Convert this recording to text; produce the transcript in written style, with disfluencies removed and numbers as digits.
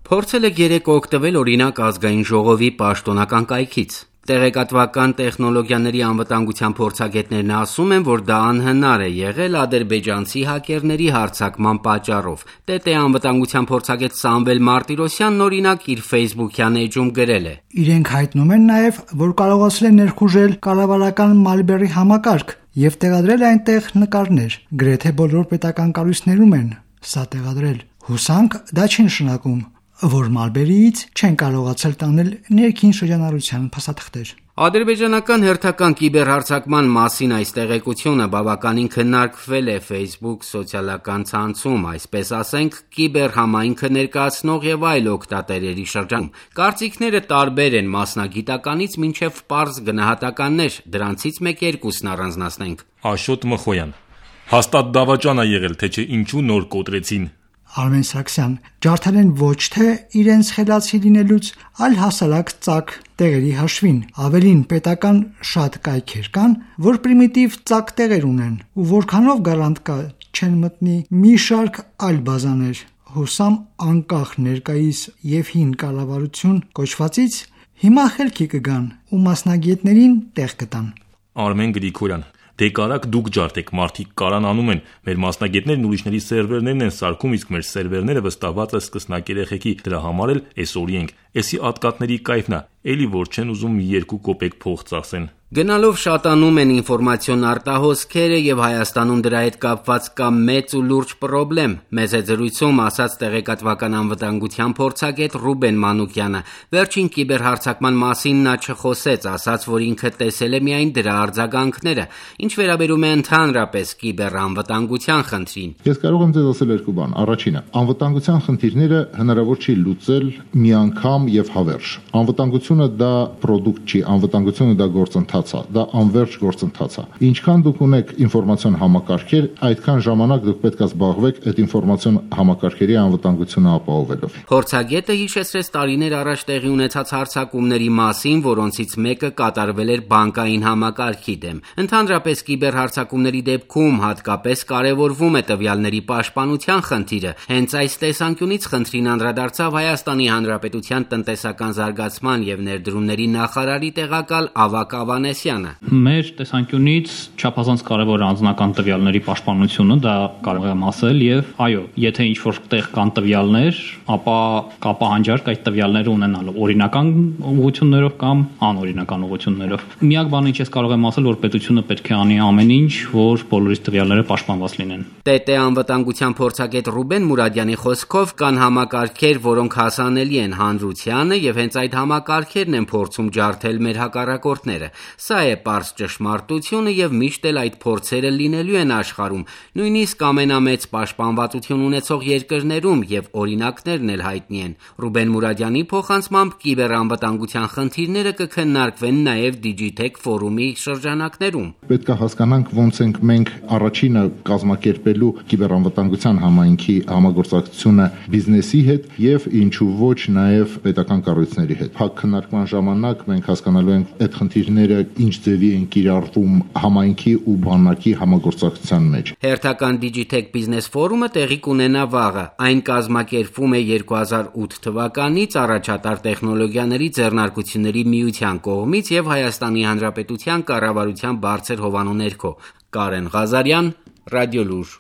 Փորձել եք երեկ օգտվել օրինակ ազգային ժողովի պաշտոնական կայքից։ Տեղեկատվական տեխնոլոգիաների անվտանգության փորձագետներն ասում են, որ դա անհնար է եղել ադրբեջանցի հակերների հարձակման պատճառով։ ՏՏ անվտանգության փորձագետ Սամվել Մարտիրոսյանն օրինակ իր Facebook-յան էջում գրել է. Իրենք հայտնում են նաև, որ կարողացել են ներխուժել կառավարական Մալբերի համակարգ եւ տեղադրել այնտեղ նկարներ։ Գրեթե բոլոր պետական կառույցներում են սա տեղադրել։ Հուսանք դա չի նշանակում, որ Մալբերիից չեն կարողացել տանել ներքին շրջանառության փաստաթղթեր։ Ադրբեջանական հերթական կիբերհարձակման մասին այս տեղեկությունը բավականին քննարկվել է Facebook սոցիալական ցանցում, այսպես ասենք, կիբերհամայնքը ներկայացնող եւ այլ օգտատերերի շրջանում։ Կարծիքները տարբեր են մասնագիտականից մինչեւ պարզ գնահատականներ, դրանցից մեկ-երկուսն առանձնացնենք։ Աշոտ Մխոյան. Հաստատ դավաճան է եղել, թե չէ ինչու նոր կոտրեցին։ Արմեն Սարգսյան. ջարդել են ոչ թե իրենց խելացի լինելուց, այլ հասարակ ծակ տեղերի հաշվին։ Ավելին պետական շատ կայքեր կան, որ պրիմիտիվ ծակ տեղեր ունեն, ու որքանով գարանտ կա չեն մտնի մի շարք այլ բազաներ։ Հուսամ անկախ ներկայիս եւ հին կառավարություն կոչվածից հիմա խելքի կգան ու մասնագետներին տեղ կտան։ Արմեն Գրիգորյան. Դե կարակ դուք ջարդեք, մարդիկ կարան անում են, մեր մասնագետներն ուրիշների սերվերներն են սարքում, իսկ մեր սերվերները վստահված է սկսնակ երեխեքի, դրա համար էլ էսօրի ենք, էսի ատկատների կայֆն է, էլի որ չեն ուզում 2 կոպեկ փող ծախսեն։ Գնալով շատանում են ինֆորմացիոն արտահոսքերը եւ Հայաստանում դրա հետ կապված կա մեծ ու լուրջ պրոբլեմ։ Մեծ է զրույցում ասաց տեղեկատվական անվտանգության փորձագետ Ռուբեն Մանուկյանը։ Վերջին կիբերհարձակման մասին նա չխոսեց, ասաց, որ ինքը տեսել է միայն դրա արձագանքները։ Ինչ վերաբերում է ընդհանրապես կիբերանվտանգության խնդրին։ Ես կարող եմ ձեզ ասել 2 բան։ Առաջինը, անվտանգության խնդիրները հնարավոր չի լուծել մի անգամ եւ հավերժ։ Անվտանգությունը դա պրոդուկտ չի, անվտանգությունը դա գործընթաց է, դա անվերջ գործընթաց է։ Ինչքան դուք ունեք ինֆորմացիոն համակարգեր, այդքան ժամանակ դուք պետք է զբաղվեք այդ ինֆորմացիոն համակարգերի անվտանգությունը ապահովելով։ Փորձագետը հիշեցրեց տարիներ առաջ տեղի ունեցած հարձակումների մասին, որոնցից մեկը կատարվել էր բանկային համակարգի դեմ։ Ընդհանրապես կիբերհարձակումների դեպքում հատկապես կարևորվում է տվյալների պաշտպանության խնդիրը։ Հենց այս տեսանկյունից խնդրին անդրադարձավ Հայաստանի Հանրապետության տնտեսական զարգացման եւ ներդրումների նախարարի տեղակալ Ավագ Ավանեսյանը։ Մեր տեսանկյունից չափազանց կարևոր է անձնական տվյալների պաշտպանությունը, դա կարող եմ ասել, եւ այո, եթե ինչ-որ տեղ կան տվյալներ, ապա կա պահանջարկ այդ տվյալները ունենալու օրինական ուղղություններով կամ անօրինական ուղղություններով։ Միակ բանը, ինչ ես կարող եմ ասել, որ պետությունը պետք է անի ամեն ինչ, որ բոլորիս տվյալները պաշտպանված լինեն։ ՏՏ անվտանգության փորձագետ Ռուբեն Մուրադյանի խոսքով կան համակարգեր, որոնք հասանելի են հանրությանը եւ հենց այդ համակարգերն են փորձում ջարդել մեր հակառակորդները։ Սա է պարզ ճշմարտությունը եւ միշտ էլ այդ փորձերը լինելու են աշխարհում, նույնիսկ ամենամեծ պաշտպանվածություն ունեցող երկրներում եւ օրինակներն էլ հայտնի են։ Ռուբեն Մուրադյանի փոխանցմամբ կիբերանվտանգության խնդիրները կքննարկվեն նաեւ Digitech ֆորումի շրջանակներում։ Պետք է հասկանանք ոնց ենք մենք առաջինը կազմակերպելու կիբերանվտանգության համայնքի համագործակցությունը բիզնեսի հետ եւ ինչու ոչ նաեւ պետական կառույցների հետ։ Փակ քննարկման ժամանակ մենք հասկանալու ենք այդ խնդիրները ինչ ձևի են կիրառվում համայնքի ու բանակի համագործակցության մեջ։ Հերթական Digitech Business ֆորումը տեղի կունենա վաղը։ Այն կազմակերպվում է 2008 թվականից առաջատար տեխնոլոգիաների ձեռնարկությունների միության կողմից եւ Հայաստանի Հանրապետության կառավարության բարձր հովանու ներքո։ Կարեն Ղազարյան, Ռադիոլուր։